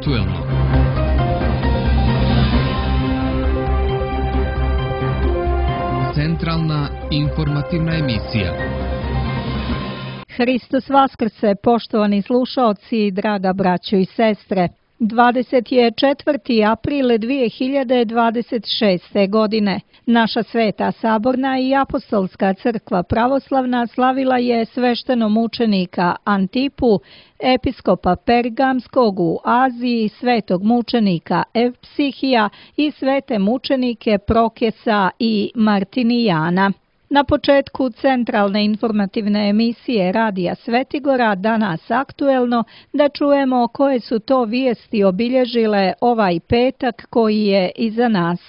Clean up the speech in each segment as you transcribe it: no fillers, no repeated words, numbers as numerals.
Aktuelno. Centralna informativna emisija. Hristos Vaskrse, poštovani slušaoci, draga braćo i sestre. 24. april 2026. godine. Naša Sveta Saborna i Apostolska crkva pravoslavna slavila je sveštenomučenika Antipu, episkopa Pergamskog u Aziji, svetog mučenika Evpsihija i svete mučenike Prokesa i Martinijana. Na početku centralne informativne emisije Radija Svetigora, danas aktuelno, da čujemo koje su to vijesti obilježile ovaj petak koji je iza nas.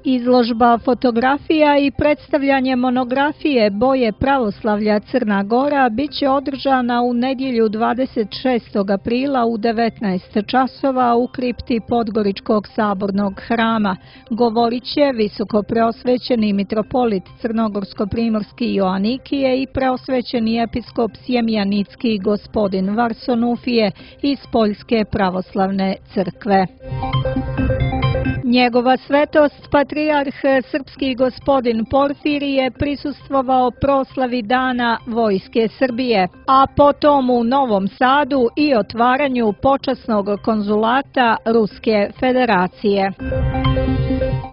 Izložba fotografija i predstavljanje monografije Boje pravoslavlja Crna Gora biće održana u nedjelju 26. aprila u 19 časova u kripti Podgoričkog sabornog hrama. Govorit će visokopreosvećeni mitropolit Crnogorsko-primorski Joanikije i preosvećeni episkop Sjemjanicki gospodin Varsonufije iz Poljske pravoslavne crkve. Njegova svetost, patrijarh srpski gospodin Porfirije, prisustvovao proslavi Dana Vojske Srbije, a potom u Novom Sadu i otvaranju počasnog konzulata Ruske federacije.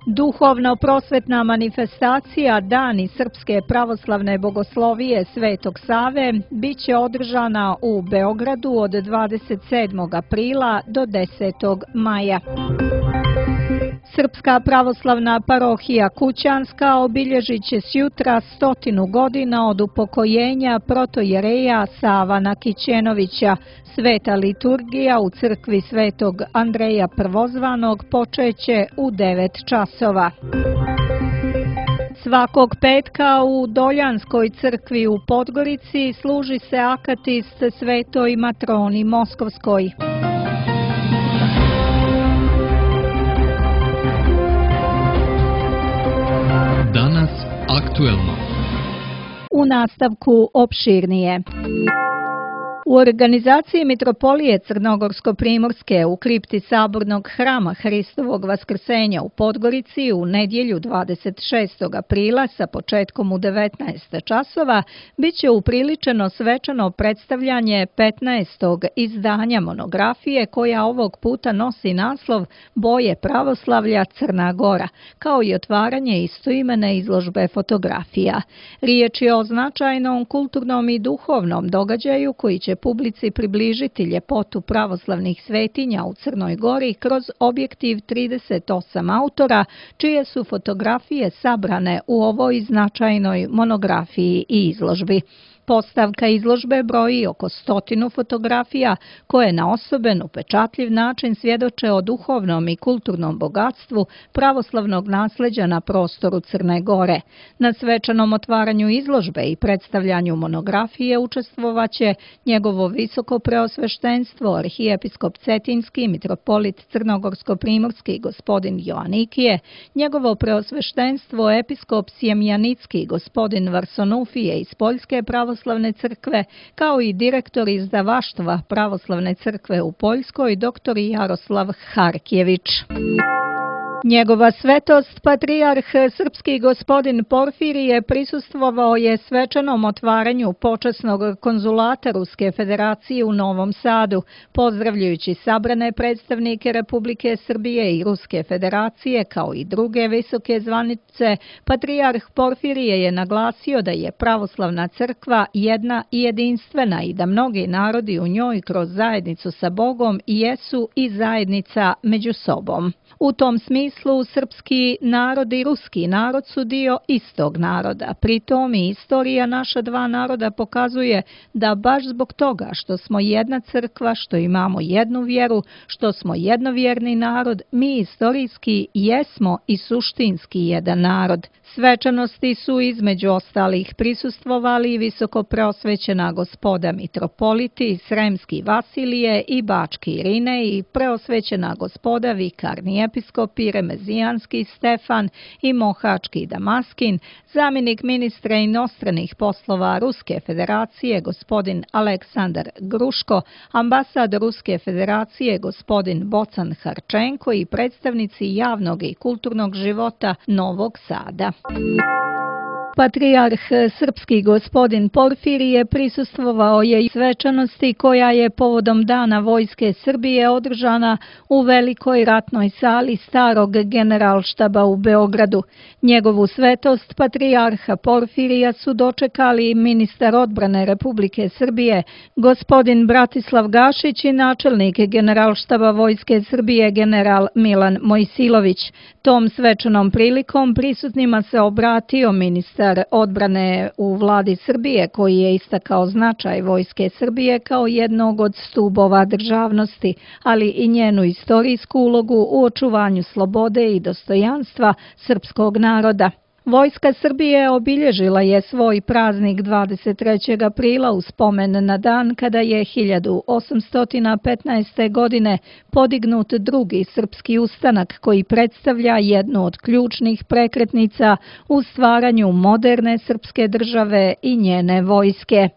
Duhovno-prosvetna manifestacija Dani Srpske pravoslavne bogoslovije Svetog Save biće održana u Beogradu od 27. aprila do 10. maja. Srpska pravoslavna parohija Kućanska obilježit će sjutra 100 godina od upokojenja protojereja Savana Kićenovića. Sveta liturgija u crkvi Svetog Andreja Prvozvanog počeće u 9 časova. Svakog petka u Doljanskoj crkvi u Podgorici služi se akatist Svetoj Matroni Moskovskoj. Danas aktuelno. U nastavku opširnije. U organizaciji Mitropolije Crnogorsko-primorske u kripti Sabornog hrama Hristovog Vaskrsenja u Podgorici u nedjelju 26. aprila sa početkom u 19 časova biće upriličeno svečano predstavljanje 15. izdanja monografije koja ovog puta nosi naslov Boje pravoslavlja Crna Gora, kao i otvaranje istoimene izložbe fotografija. Riječ je o značajnom kulturnom i duhovnom događaju koji će publici približiti ljepotu pravoslavnih svetinja u Crnoj Gori kroz objektiv 38 autora, čije su fotografije sabrane u ovoj značajnoj monografiji i izložbi. Postavka izložbe broji oko 100 fotografija koje na osoben, upečatljiv način svjedoče o duhovnom i kulturnom bogatstvu pravoslavnog nasljeđa na prostoru Crne Gore. Na svečanom otvaranju izložbe i predstavljanju monografije učestvovaće njegovo visoko preosveštenstvo arhijepiskop Cetinski, mitropolit Crnogorsko-primorski gospodin Joanikije, njegovo preosveštenstvo episkop Sjemjanicki gospodin Varsonufije iz Poljske pravoslavne crkve, kao i direktor izdavaštva pravoslavne crkve u Poljskoj, dr. Jaroslav Harkjević. Njegova svetost, patrijarh srpski gospodin Porfirije, prisustvovao je svečanom otvaranju počasnog konzulata Ruske federacije u Novom Sadu. Pozdravljajući sabrane predstavnike Republike Srbije i Ruske federacije, kao i druge visoke zvanice, patrijarh Porfirije je naglasio da je pravoslavna crkva jedna i jedinstvena i da mnogi narodi u njoj kroz zajednicu sa Bogom jesu i zajednica među sobom. U tom smislu srpski narod i ruski narod su dio istog naroda. Pritom i istorija naša dva naroda pokazuje da baš zbog toga što smo jedna crkva, što imamo jednu vjeru, što smo jednovjerni narod, mi istorijski jesmo i suštinski jedan narod. Svečanosti su između ostalih prisustvovali visoko preosvećena gospoda mitropoliti, Sremski Vasilije i Bački Irinej i preosvećena gospoda vikarni episkopi Remezijanski Stefan i Mohački Damaskin, zamjenik ministra inostranih poslova Ruske federacije gospodin Aleksandar Gruško, ambasador Ruske federacije gospodin Bocan Harčenko i predstavnici javnog i kulturnog života Novog Sada. Patrijarh srpski gospodin Porfirije prisustvovao je svečanosti koja je povodom Dana Vojske Srbije održana u velikoj ratnoj sali starog generalštaba u Beogradu. Njegovu svetost patrijarha Porfirija su dočekali ministar odbrane Republike Srbije gospodin Bratislav Gašić i načelnik generalštaba Vojske Srbije general Milan Mojsilović. Tom svečanom prilikom prisutnima se obratio ministar odbrane u vladi Srbije, koji je istakao značaj Vojske Srbije kao jednog od stubova državnosti, ali i njenu istorijsku ulogu u očuvanju slobode i dostojanstva srpskog naroda. Vojska Srbije obilježila je svoj praznik 23. aprila u spomen na dan kada je 1815. godine podignut drugi srpski ustanak koji predstavlja jednu od ključnih prekretnica u stvaranju moderne srpske države i njene vojske.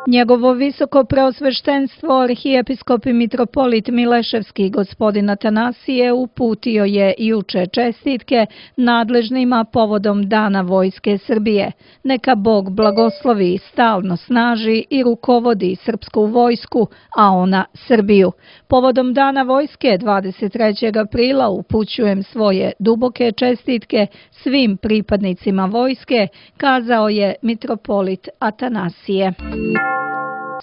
Njegovo visoko preosveštenstvo arhijepiskop i mitropolit Mileševski gospodin Atanasije uputio je juče čestitke nadležnima povodom Dana Vojske Srbije. Neka Bog blagoslovi, stalno snaži i rukovodi srpsku vojsku, a ona Srbiju. Povodom Dana Vojske 23. aprila upućujem svoje duboke čestitke svim pripadnicima vojske, kazao je mitropolit Atanasije.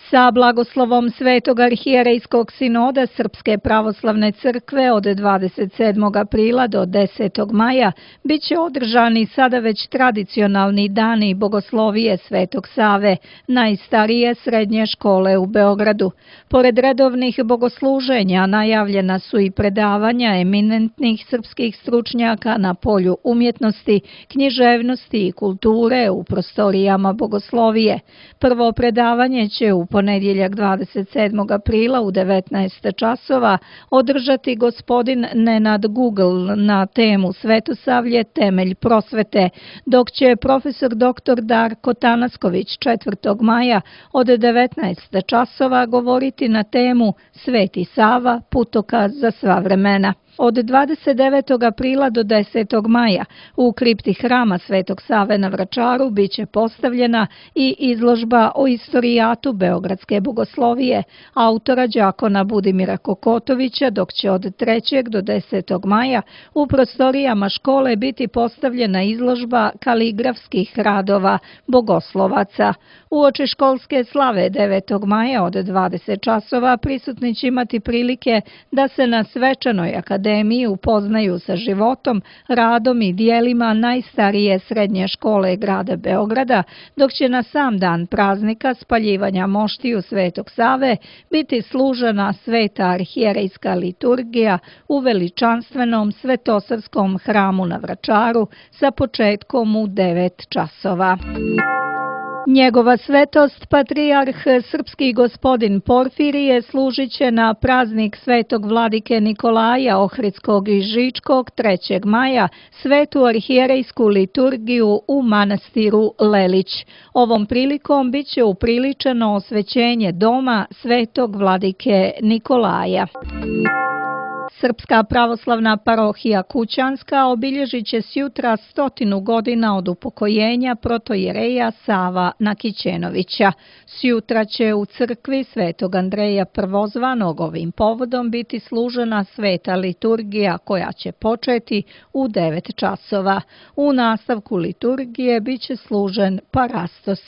Sa blagoslovom Svetog arhijerejskog sinoda Srpske pravoslavne crkve od 27. aprila do 10. maja bit će održani sada već tradicionalni dani bogoslovije Svetog Save, najstarije srednje škole u Beogradu. Pored redovnih bogosluženja najavljena su i predavanja eminentnih srpskih stručnjaka na polju umjetnosti, književnosti i kulture u prostorijama bogoslovije. Prvo predavanje će u ponedjeljak 27. aprila u 19 časova održati gospodin Nenad Google na temu Svetosavlje, temelj prosvete, dok će profesor dr. Darko Tanasković 4. maja od 19 časova govoriti na temu Sveti Sava, putokaz za sva vremena. Od 29. aprila do 10. maja u kripti hrama Svetog Save na Vračaru biće postavljena i izložba o istorijatu beogradske bogoslovije autora đakona Budimira Kokotovića, dok će od 3. do 10. maja u prostorijama škole biti postavljena izložba kaligrafskih radova bogoslovaca. Uoči školske slave 9. maja od 20 časova prisutni će imati prilike da se na svečanoj akademiji upoznaju sa životom, radom i dijelima najstarije srednje škole grada Beograda, dok će na sam dan praznika spaljivanja moštiju Svetog Save biti služena sveta arhijerejska liturgija u veličanstvenom Svetosavskom hramu na Vračaru sa početkom u 9 časova. Njegova svetost, patrijarh srpski gospodin Porfirije, služit će na praznik svetog vladike Nikolaja Ohridskog i Žičkog 3. maja svetu arhijerejsku liturgiju u manastiru Lelić. Ovom prilikom bit će upriličeno osvećenje doma svetog vladike Nikolaja. Srpska pravoslavna parohija Kućanska obilježit će sjutra 100 godina od upokojenja protojereja Sava Nakićenovića. Sjutra će u crkvi Svetog Andreja Prvozvanog ovim povodom biti služena sveta liturgija koja će početi u 9 časova. U nastavku liturgije bit će služen parastos.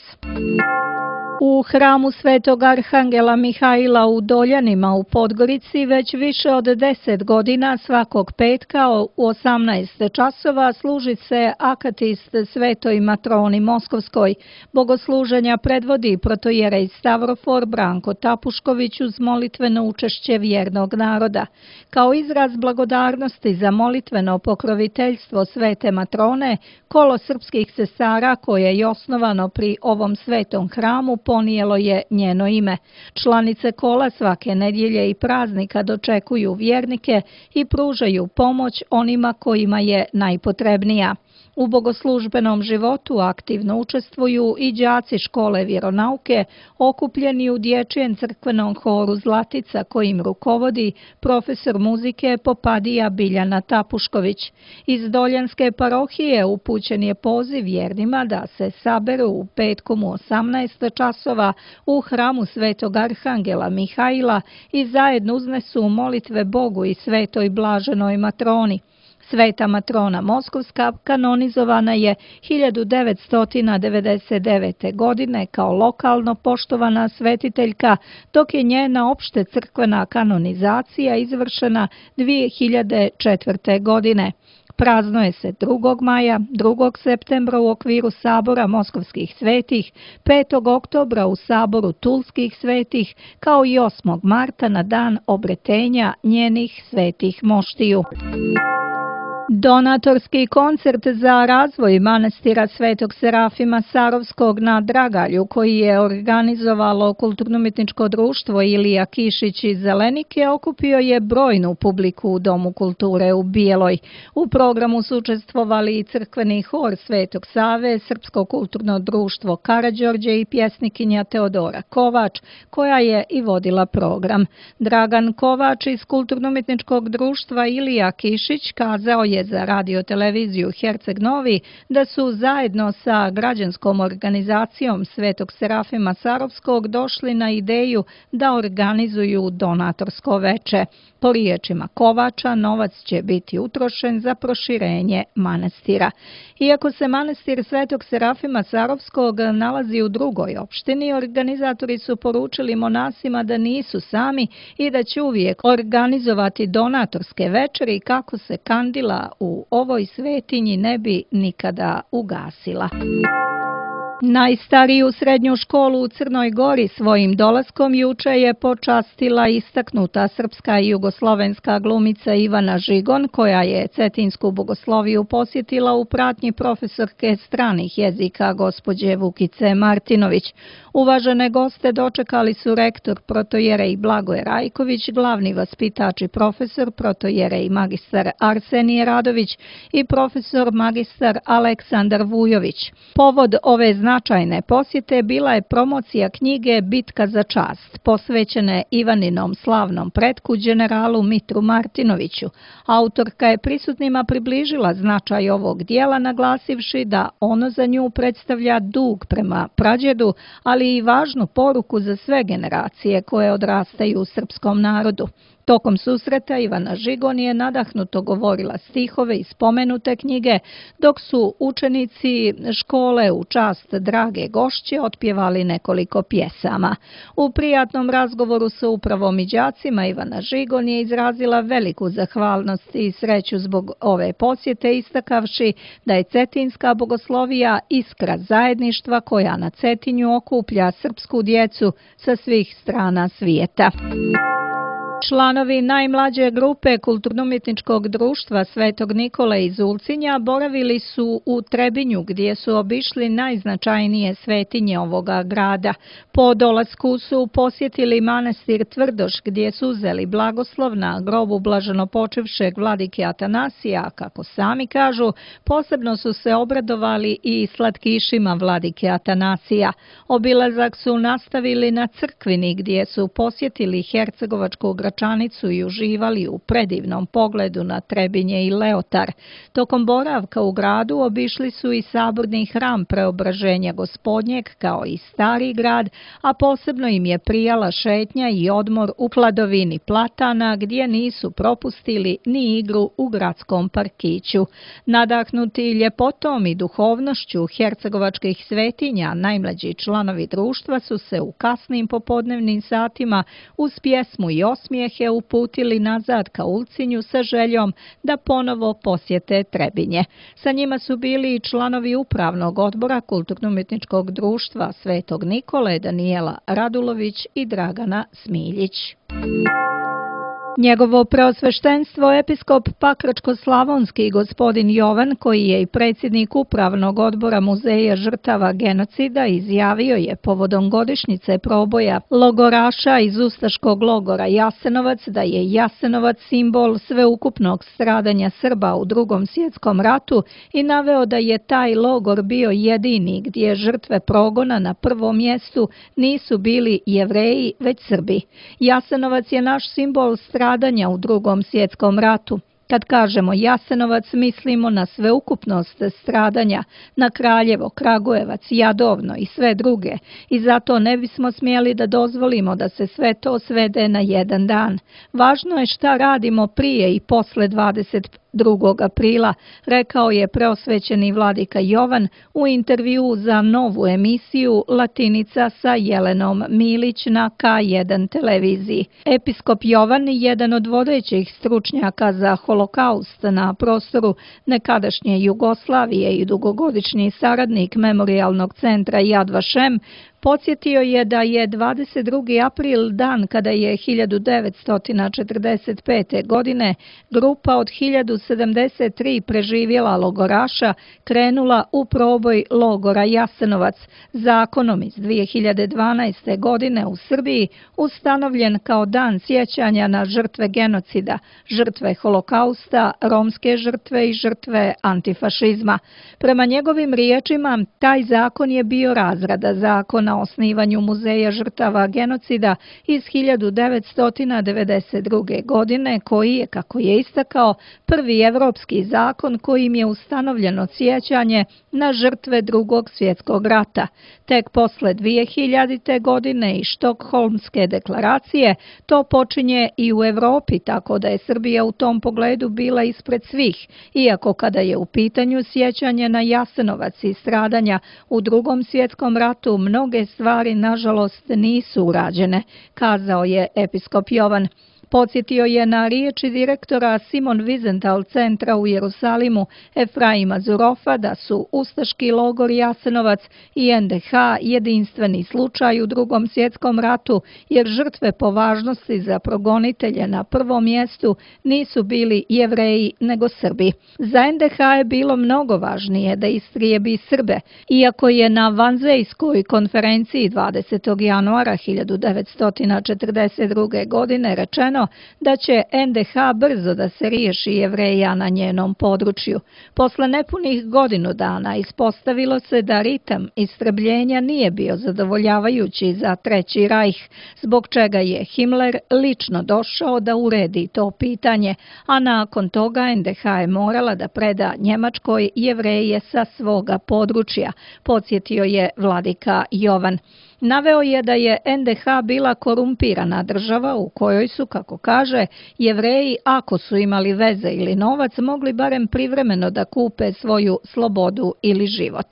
U hramu Svetog Arhangela Mihajla u Doljanima u Podgorici već više od 10 godina svakog petka u 18 časova služi se akatist Svetoj matroni Moskovskoj. Bogosluženja predvodi protojerej Stavrofor Branko Tapušković uz molitveno učešće vjernog naroda. Kao izraz blagodarnosti za molitveno pokroviteljstvo Svete matrone, kolo srpskih sestara koje je osnovano pri ovom svetom hramu ponijelo je njeno ime. Članice kola svake nedjelje i praznika dočekuju vjernike i pružaju pomoć onima kojima je najpotrebnija. U bogoslužbenom životu aktivno učestvuju i đaci škole vjeronauke okupljeni u dječjem crkvenom horu Zlatica kojim rukovodi profesor muzike Popadija Biljana Tapušković. Iz Doljanske parohije upućen je poziv vjernima da se saberu u petkom u 18 časova u hramu Svetog Arhangela Mihaila i zajedno uznesu molitve Bogu i Svetoj Blaženoj Matroni. Sveta Matrona Moskovska kanonizovana je 1999. godine kao lokalno poštovana svetiteljka, dok je njena opšte crkvena kanonizacija izvršena 2004. godine. Praznuje se 2. maja, 2. septembra u okviru Sabora Moskovskih svetih, 5. oktobra u Saboru Tulskih svetih, kao i 8. marta na dan obretenja njenih svetih moštiju. Donatorski koncert za razvoj manastira Svetog Serafima Sarovskog na Dragalju, koji je organizovalo Kulturno-umjetničko društvo Ilija Kišić iz Zelenike, okupio je brojnu publiku u Domu kulture u Bijeloj. U programu su učestvovali i crkveni hor Svetog Save, Srpsko kulturno društvo Karađorđe i pjesnikinja Teodora Kovač, koja je i vodila program. Dragan Kovač iz Kulturno-umjetničkog društva Ilija Kišić kazao je za radioteleviziju Herceg Novi da su zajedno sa građanskom organizacijom Svetog Serafima Sarovskog došli na ideju da organizuju donatorsko veče. Po riječima Kovača, novac će biti utrošen za proširenje manastira. Iako se manastir Svetog Serafima Sarovskog nalazi u drugoj opštini, organizatori su poručili monasima da nisu sami i da će uvijek organizovati donatorske večeri kako se kandila u ovoj svetinji ne bi nikada ugasila. Najstariju srednju školu u Crnoj Gori svojim dolaskom juče je počastila istaknuta srpska i jugoslovenska glumica Ivana Žigon, koja je Cetinsku bogosloviju posjetila u pratnji profesorke stranih jezika gospođe Vukice Martinović. Uvažene goste dočekali su rektor protojerej Blagoje Rajković, glavni vaspitač i profesor protojerej magistar Arsenije Radović i profesor magistar Aleksandar Vujović. Povod ove značajne posjete bila je promocija knjige Bitka za čast, posvećene Ivaninom slavnom pretku generalu Mitru Martinoviću. Autorka je prisutnima približila značaj ovog dijela, naglasivši da ono za nju predstavlja dug prema prađedu, ali i važnu poruku za sve generacije koje odrastaju u srpskom narodu. Tokom susreta Ivana Žigon je nadahnuto govorila stihove iz spomenute knjige, dok su učenici škole u čast drage gošće otpjevali nekoliko pjesama. U prijatnom razgovoru sa upravom i đacima Ivana Žigon je izrazila veliku zahvalnost i sreću zbog ove posjete, istakavši da je Cetinska bogoslovija iskra zajedništva koja na Cetinju okuplja srpsku djecu sa svih strana svijeta. Članovi najmlađe grupe Kulturno-umjetničkog društva Svetog Nikole iz Ulcinja boravili su u Trebinju gdje su obišli najznačajnije svetinje ovoga grada. Po dolasku su posjetili manastir Tvrdoš gdje su uzeli blagoslov na grobu blaženopočivšeg vladike Atanasija, kako sami kažu, posebno su se obradovali i slatkišima vladike Atanasija. Obilazak su nastavili na Crkvini gdje su posjetili hercegovačku Gračanicu i uživali u predivnom pogledu na Trebinje i Leotar. Tokom boravka u gradu obišli su i saborni hram Preobraženja Gospodnjeg kao i Stari grad, a posebno im je prijala šetnja i odmor u hladovini platana gdje nisu propustili ni igru u gradskom parkiću. Nadahnuti ljepotom i duhovnošću hercegovačkih svetinja, najmlađi članovi društva su se u kasnim popodnevnim satima uz pjesmu i osmijehe uputili nazad ka Ulcinju sa željom da ponovo posjete Trebinje. Sa njima su bili i članovi upravnog odbora Kulturno-umjetničkog društva Svetog Nikole, Danijela Radulović i Dragana Smiljić. Njegovo preosveštenstvo episkop Pakračko-slavonski gospodin Jovan, koji je i predsjednik upravnog odbora Muzeja žrtava genocida, izjavio je povodom godišnjice proboja logoraša iz ustaškog logora Jasenovac da je Jasenovac simbol sveukupnog stradanja Srba u Drugom svjetskom ratu i naveo da je taj logor bio jedini gdje žrtve progona na prvom mjestu nisu bili Jevreji, već Srbi. Jasenovac je naš simbol stradanja u Drugom svjetskom ratu. Kad kažemo Jasenovac, mislimo na sveukupnost stradanja, na Kraljevo, Kragujevac, Jadovno i sve druge, i zato ne bismo smjeli da dozvolimo da se sve to svede na jedan dan. Važno je šta radimo prije i posle 22. aprila, rekao je preosvećeni vladika Jovan u intervjuu za novu emisiju Latinica sa Jelenom Milić na K1 televiziji. Episkop Jovan, jedan od vodećih stručnjaka za holokaust na prostoru nekadašnje Jugoslavije i dugogodišnji saradnik Memorijalnog centra Yad Vashem, podsjetio je da je 22. april dan kada je 1945. godine grupa od 1073 preživjela logoraša krenula u proboj logora Jasenovac, zakonom iz 2012. godine u Srbiji ustanovljen kao dan sjećanja na žrtve genocida, žrtve holokausta, romske žrtve i žrtve antifašizma. Prema njegovim riječima, taj zakon je bio razrada zakona o osnivanju Muzeja žrtava genocida iz 1992. godine, koji je, kako je istakao, prvi evropski zakon kojim je ustanovljeno sjećanje na žrtve Drugog svjetskog rata. Tek posle 2000. godine i Štokholmske deklaracije to počinje i u Evropi, tako da je Srbija u tom pogledu bila ispred svih, iako kada je u pitanju sjećanje na Jasenovac i stradanja u Drugom svjetskom ratu, mnoge stvari nažalost nisu urađene, kazao je episkop Jovan. Podsjetio je na riječi direktora Simon Wiesenthal centra u Jerusalimu Efraima Zurofa da su ustaški logor Jasenovac i NDH jedinstveni slučaj u Drugom svjetskom ratu, jer žrtve po važnosti za progonitelje na prvom mjestu nisu bili Jevreji nego Srbi. Za NDH je bilo mnogo važnije da istrijebi Srbe, iako je na Vanzejskoj konferenciji 20. januara 1942. godine rečeno da će NDH brzo da se riješi Jevreja na njenom području. Posle nepunih godinu dana ispostavilo se da ritam istrebljenja nije bio zadovoljavajući za Treći rajh, zbog čega je Himmler lično došao da uredi to pitanje, a nakon toga NDH je morala da preda Njemačkoj Jevreje sa svoga područja, podsjetio je vladika Jovan. Naveo je da je NDH bila korumpirana država u kojoj su, kako kaže, Jevreji, ako su imali veze ili novac, mogli barem privremeno da kupe svoju slobodu ili život.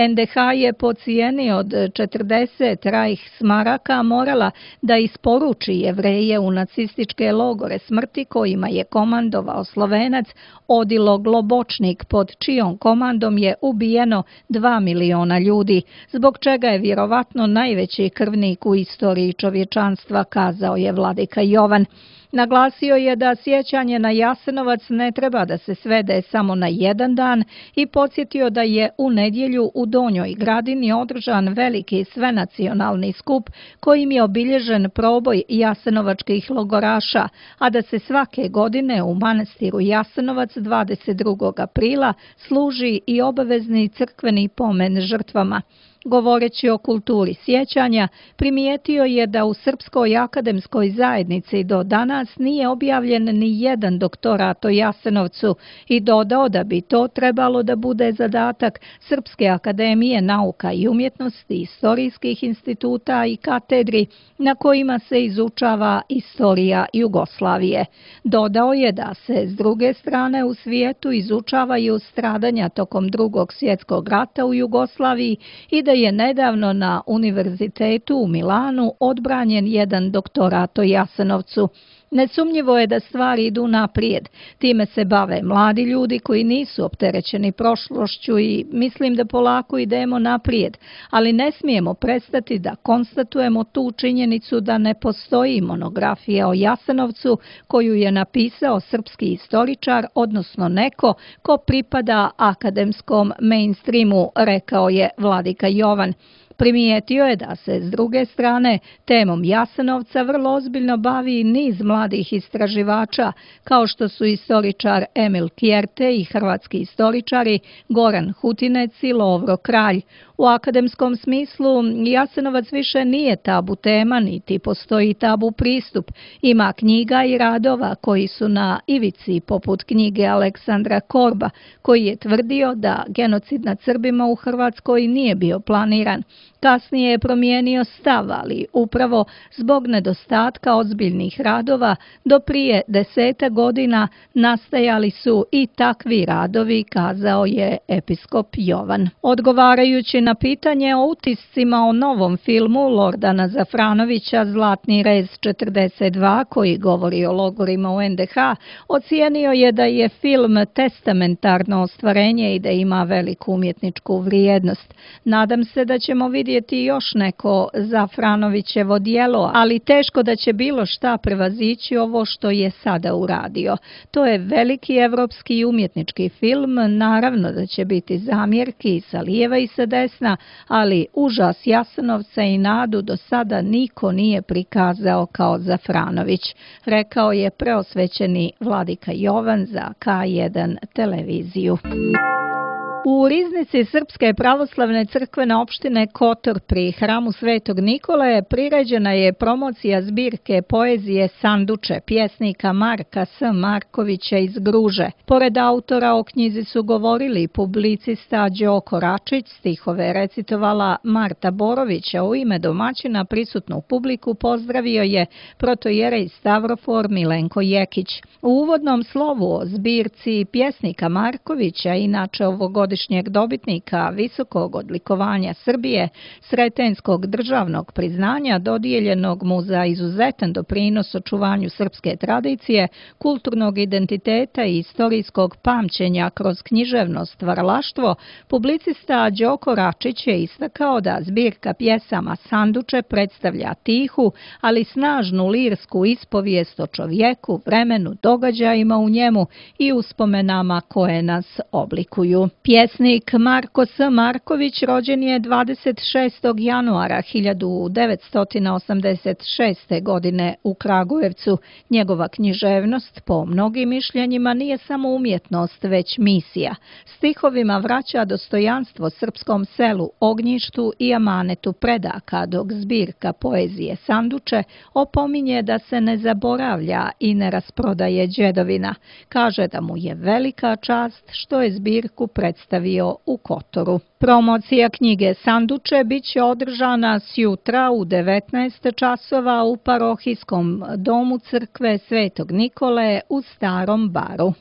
NDH je po cijeni od 40 Reichsmaraka morala da isporuči Jevreje u nacističke logore smrti kojima je komandovao Slovenac Odilo Globočnik, pod čijom komandom je ubijeno 2 miliona ljudi, zbog čega je vjerovatno najveći krvnik u istoriji čovječanstva, kazao je vladika Jovan. Naglasio je da sjećanje na Jasenovac ne treba da se svede samo na jedan dan i podsjetio da je u nedjelju u Donjoj Gradini održan veliki svenacionalni skup kojim je obilježen proboj jasenovačkih logoraša, a da se svake godine u manastiru Jasenovac 22. aprila služi i obavezni crkveni pomen žrtvama. Govoreći o kulturi sjećanja, primijetio je da u Srpskoj akademskoj zajednici do danas nije objavljen ni jedan doktorat o Jasenovcu i dodao da bi to trebalo da bude zadatak Srpske akademije nauka i umjetnosti, istorijskih instituta i katedri na kojima se izučava istorija Jugoslavije. Dodao je da se s druge strane u svijetu izučavaju stradanja tokom Drugog svjetskog rata u Jugoslaviji i da je nedavno na Univerzitetu u Milanu odbranjen jedan doktorat o Jasenovcu. Nesumnjivo je da stvari idu naprijed. Time se bave mladi ljudi koji nisu opterećeni prošlošću i mislim da polako idemo naprijed, ali ne smijemo prestati da konstatujemo tu činjenicu da ne postoji monografija o Jasenovcu koju je napisao srpski istoričar, odnosno neko ko pripada akademskom mainstreamu, rekao je Vladika Jovan. Primijetio je da se, s druge strane, temom Jasenovca vrlo ozbiljno bavi niz mladih istraživača, kao što su istoričar Emil Kjerte i hrvatski istoričari Goran Hutinec i Lovro Kralj. U akademskom smislu Jasenovac više nije tabu tema, niti postoji tabu pristup. Ima knjiga i radova koji su na ivici, poput knjige Aleksandra Korba, koji je tvrdio da genocid nad Srbima u Hrvatskoj nije bio planiran. Kasnije je promijenio stav, ali upravo zbog nedostatka ozbiljnih radova do prije 10 godina nastajali su i takvi radovi, kazao je episkop Jovan. Odgovarajući na pitanje o utiscima o novom filmu Lordana Zafranovića Zlatni rez 42, koji govori o logorima u NDH, ocijenio je da je film testamentarno ostvarenje i da ima veliku umjetničku vrijednost. Nadam se da ćemo vidjeti još neko Zafranovićevo djelo, ali teško da će bilo šta prevazići ovo što je sada uradio. To je veliki evropski i umjetnički film, naravno da će biti zamjerki i sa lijeva i sa desna, ali užas Jasenovca i nadu do sada niko nije prikazao kao Zafranović, rekao je preosvećeni Vladika Jovan za K1 televiziju. U riznici Srpske pravoslavne crkvene opštine Kotor pri hramu Svetog Nikole priređena je promocija zbirke poezije Sanduče pjesnika Marka S. Markovića iz Gruže. Pored autora o knjizi su govorili publicista Đoko Račić, stihove recitovala Marta Borović, a u ime domaćina prisutnu publiku pozdravio je protojerej Stavrofor Milenko Jekić. U uvodnom slovu o zbirci pjesnika Markovića, inače ovogodišnjeg dobitnika visokog odlikovanja Srbije, Sretenskog državnog priznanja dodijeljenog mu za izuzetan doprinos očuvanju srpske tradicije, kulturnog identiteta i istorijskog pamćenja kroz književno stvaralaštvo, publicista Đoko Račić je istakao da zbirka pjesama Sanduče predstavlja tihu, ali snažnu lirsku ispovijest o čovjeku, vremenu, događajima u njemu i uspomenama koje nas oblikuju. Pjesnik Marko S. Marković rođen je 26. januara 1986. godine u Kragujevcu. Njegova književnost, po mnogim mišljenjima, nije samo umjetnost, već misija. Stihovima vraća dostojanstvo srpskom selu, ognjištu i amanetu predaka, dok zbirka poezije Sanduče opominje da se ne zaboravlja i ne rasprodaje đedovina. Kaže da mu je velika čast što je zbirku predstavio u Kotoru. Promocija knjige Sanduče bit će održana sjutra u 19 časova u parohijskom domu crkve Svetog Nikole u Starom Baru.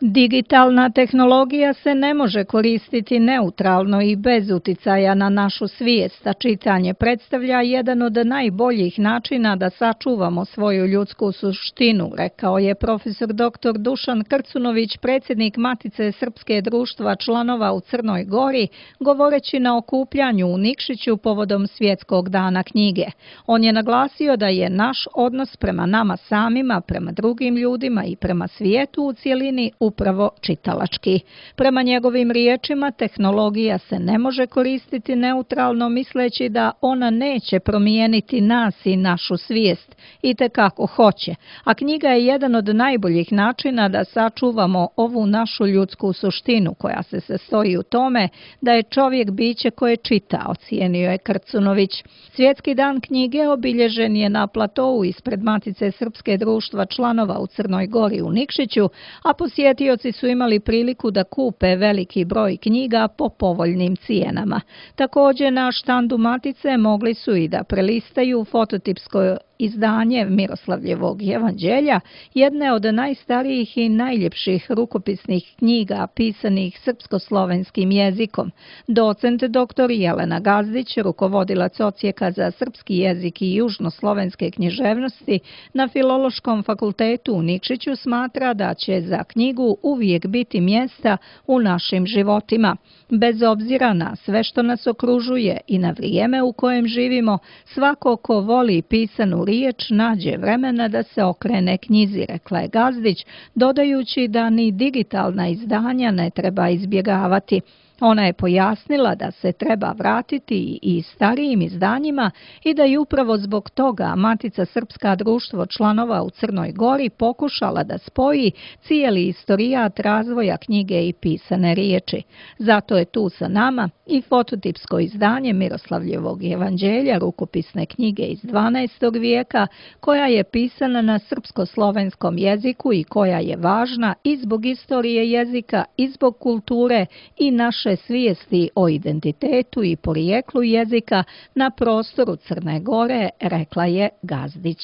Digitalna tehnologija se ne može koristiti neutralno i bez uticaja na našu svijest, a čitanje predstavlja jedan od najboljih načina da sačuvamo svoju ljudsku suštinu, rekao je profesor dr. Dušan Krcunović, predsjednik Matice Srpske društva članova u Crnoj Gori, govoreći na okupljanju u Nikšiću povodom Svjetskog dana knjige. On je naglasio da je naš odnos prema nama samima, prema drugim ljudima i prema svijetu u cjelini upravo čitalački. Prema njegovim riječima, tehnologija se ne može koristiti neutralno misleći da ona neće promijeniti nas i našu svijest, itekako hoće, a knjiga je jedan od najboljih načina da sačuvamo ovu našu ljudsku suštinu koja se sastoji u tome da je čovjek biće koje čita, ocijenio je Krcunović. Svjetski dan knjige obilježen je na platou ispred Matice Srpske društva članova u Crnoj Gori u Nikšiću, a posjetioci su imali priliku da kupe veliki broj knjiga po povoljnim cijenama. Također na štandu Matice mogli su i da prelistaju fototipsko izdanje Miroslavljevog evanđelja, jedne od najstarijih i najljepših rukopisnih knjiga pisanih srpsko-slovenskim jezikom. Docent dr. Jelena Gazdić, rukovodilac Odsjeka za srpski jezik i južnoslovenske književnosti na Filološkom fakultetu u Nikšiću, smatra da će za knjigu uvijek biti mjesta u našim životima. Bez obzira na sve što nas okružuje i na vrijeme u kojem živimo, svako ko voli pisanu riječ nađe vremena da se okrene knjizi, rekla je Gazdić, dodajući da ni digitalna izdanja ne treba izbjegavati. Ona je pojasnila da se treba vratiti i starijim izdanjima i da je upravo zbog toga Matica Srpska društvo članova u Crnoj Gori pokušala da spoji cijeli istorijat razvoja knjige i pisane riječi. Zato je tu sa nama i fototipsko izdanje Miroslavljevog evanđelja, rukopisne knjige iz 12. vijeka, koja je pisana na srpsko-slovenskom jeziku i koja je važna i zbog istorije jezika, i zbog kulture i naše svijesti o identitetu i porijeklu jezika na prostoru Crne Gore, rekla je Gazdić.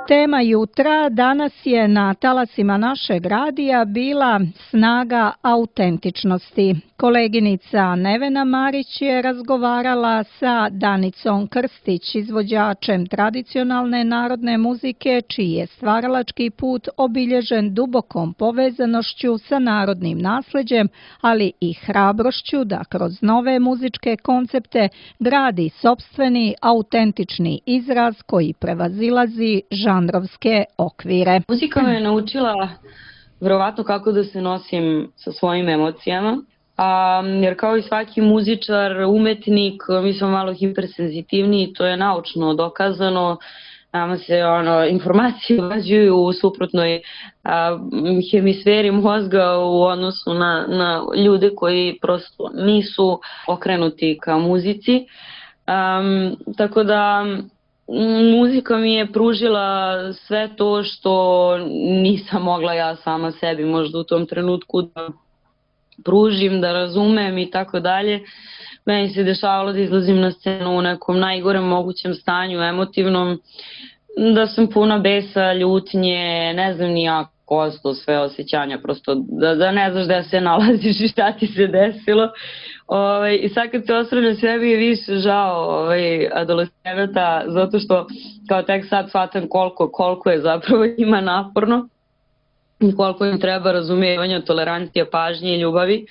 Tema jutra danas je na talasima našeg radija bila snaga autentičnosti. Koleginica Nevena Marić je razgovarala sa Danicom Krstić, izvođačem tradicionalne narodne muzike, čiji je stvaralački put obilježen dubokom povezanošću sa narodnim nasljeđem, ali i hrabrošću da kroz nove muzičke koncepte gradi sopstveni autentični izraz koji prevazilazi žanrovske okvire. Muzika me je naučila vjerovatno kako da se nosim sa svojim emocijama, jer kao i svaki muzičar, umetnik, mi smo malo hipersenzitivni, to je naučno dokazano. Nama se informacije uvađuju u suprotnoj hemisferi mozga u odnosu na ljude koji prosto nisu okrenuti ka muzici. Tako da muzika mi je pružila sve to što nisam mogla ja sama sebi možda u tom trenutku da pružim, da razumem i tako dalje. Meni se dešavalo da izlazim na scenu u nekom najgorem mogućem stanju emotivnom, da sam puna besa, ljutnje, ne znam ni ja kosto sve osjećanja, prosto da ne znaš da se nalaziš i šta ti se desilo. I sad kad se osvrnem, sve mi je više žao adolescenata, zato što kao tek sad shvatam koliko je zapravo ima naporno i koliko im treba razumijevanja, tolerancije, pažnje i ljubavi.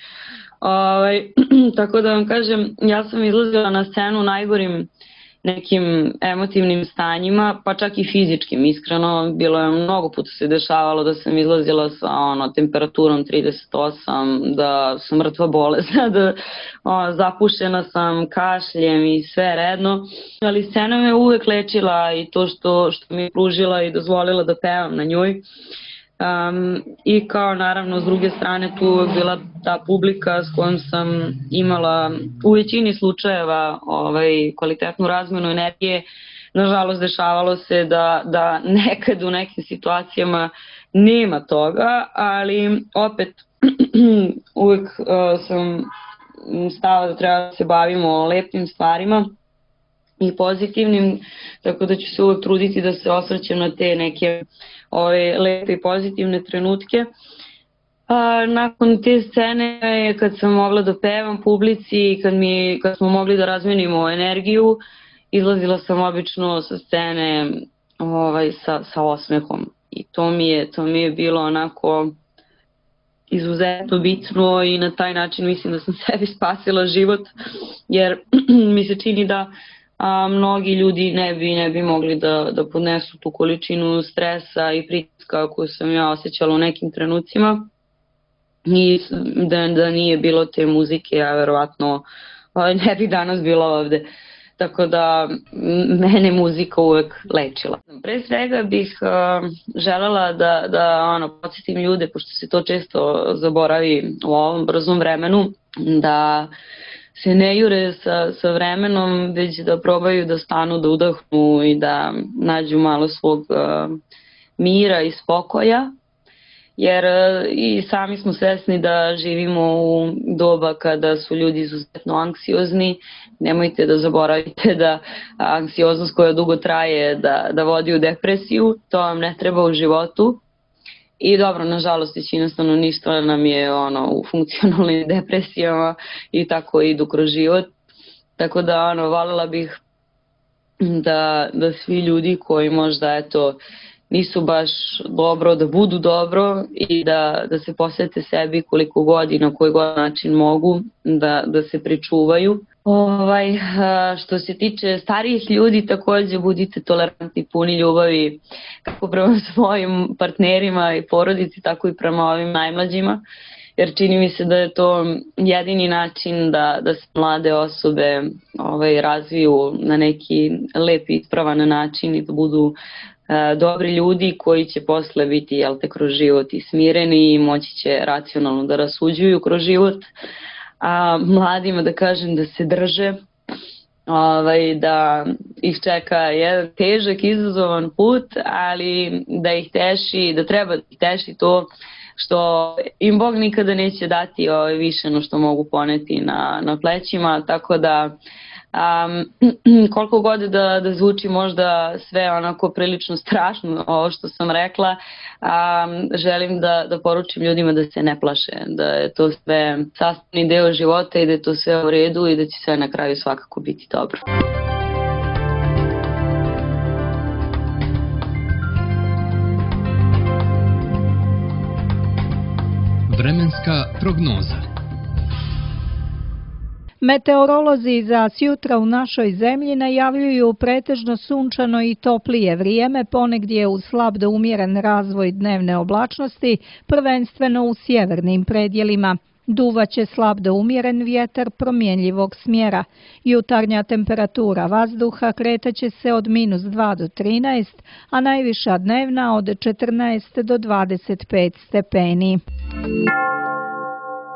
Tako da vam kažem, ja sam izlazila na scenu najgorim nekim emotivnim stanjima, pa čak i fizičkim, iskreno. Bilo je mnogo puta se dešavalo da sam izlazila sa temperaturom 38, da sam mrtva bolesna, da zapušena sam, kašljem i sve redno. Ali scena me uvek lečila i to što mi je pružila i dozvolila da pevam na njoj. I kao naravno s druge strane tu je bila ta publika s kojom sam imala u većini slučajeva kvalitetnu razmjenu energije. Nažalost dešavalo se da nekad u nekim situacijama nema toga, ali opet uvek sam stava da treba da se bavimo lepim stvarima i pozitivnim, tako da ću se uvek truditi da se osvrćem na te neke lepe i pozitivne trenutke. Nakon te scene, kad sam mogla da pevam publici i kad smo mogli da razmenimo energiju, izlazila sam obično sa scene sa osmehom. I to mi je bilo onako izuzetno bitno i na taj način mislim da sam sebi spasila život, jer mi se čini da mnogi ljudi ne bi mogli da podnesu tu količinu stresa i pritiska koju sam ja osjećala u nekim trenucima i da nije bilo te muzike, ja verovatno ne bi danas bila ovde. Tako da mene muzika uvek lečila. Pre svega bih želela da podsjetim ljude, pošto se to često zaboravi u ovom brzom vremenu, da se ne jure sa vremenom, već da probaju da stanu, da udahnu i da nađu malo svog mira i spokoja. jer i sami smo svesni da živimo u doba kada su ljudi izuzetno anksiozni. Nemojte da zaboravite da anksioznost koja dugo traje da vodi u depresiju, to vam ne treba u životu. I dobro, nažalost, većina stanovništva nam je u funkcionalnim depresijama i tako idu kroz život. Tako da voljela bih da svi ljudi koji možda nisu baš dobro, da budu dobro i da se posvete sebi koliko god i na koji god način mogu, da se pričuvaju. Što se tiče starijih ljudi, takođe budite tolerantni, puni ljubavi kako prema svojim partnerima i porodici, tako i prema ovim najmlađima, jer čini mi se da je to jedini način da se mlade osobe razviju na neki lep i ispravan način i da budu dobri ljudi koji će posle biti kroz život i smireni i moći će racionalno da rasuđuju kroz život. A mladima da kažem da se drže, da ih čeka jedan težak, izazovan put, ali da ih teši, da treba da ih teši to što im Bog nikada neće dati više no što mogu poneti na plećima, tako da koliko god da zvuči možda sve onako prilično strašno ovo što sam rekla, želim da poručim ljudima da se ne plaše, da je to sve sastavni deo života i da je to sve u redu i da će sve na kraju svakako biti dobro. Vremenska prognoza. Meteorolozi za sjutra u našoj zemlji najavljuju pretežno sunčano i toplije vrijeme, ponegdje uz slab do umjeren razvoj dnevne oblačnosti, prvenstveno u sjevernim predjelima. Duvaće slab do umjeren vjetar promjenljivog smjera. Jutarnja temperatura vazduha kretaće se od -2 do 13, a najviša dnevna od 14 do 25 stepeni.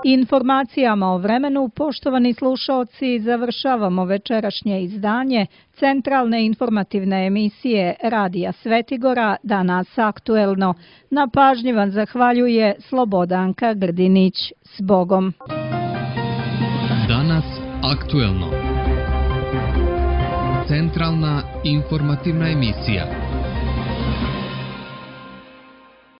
Informacijama o vremenu, poštovani slušaoci, završavamo večerašnje izdanje centralne informativne emisije Radija Svetigora Danas aktuelno. Na pažnji vam zahvaljuje Slobodanka Grdinić. S Bogom! Danas aktuelno. Centralna informativna emisija.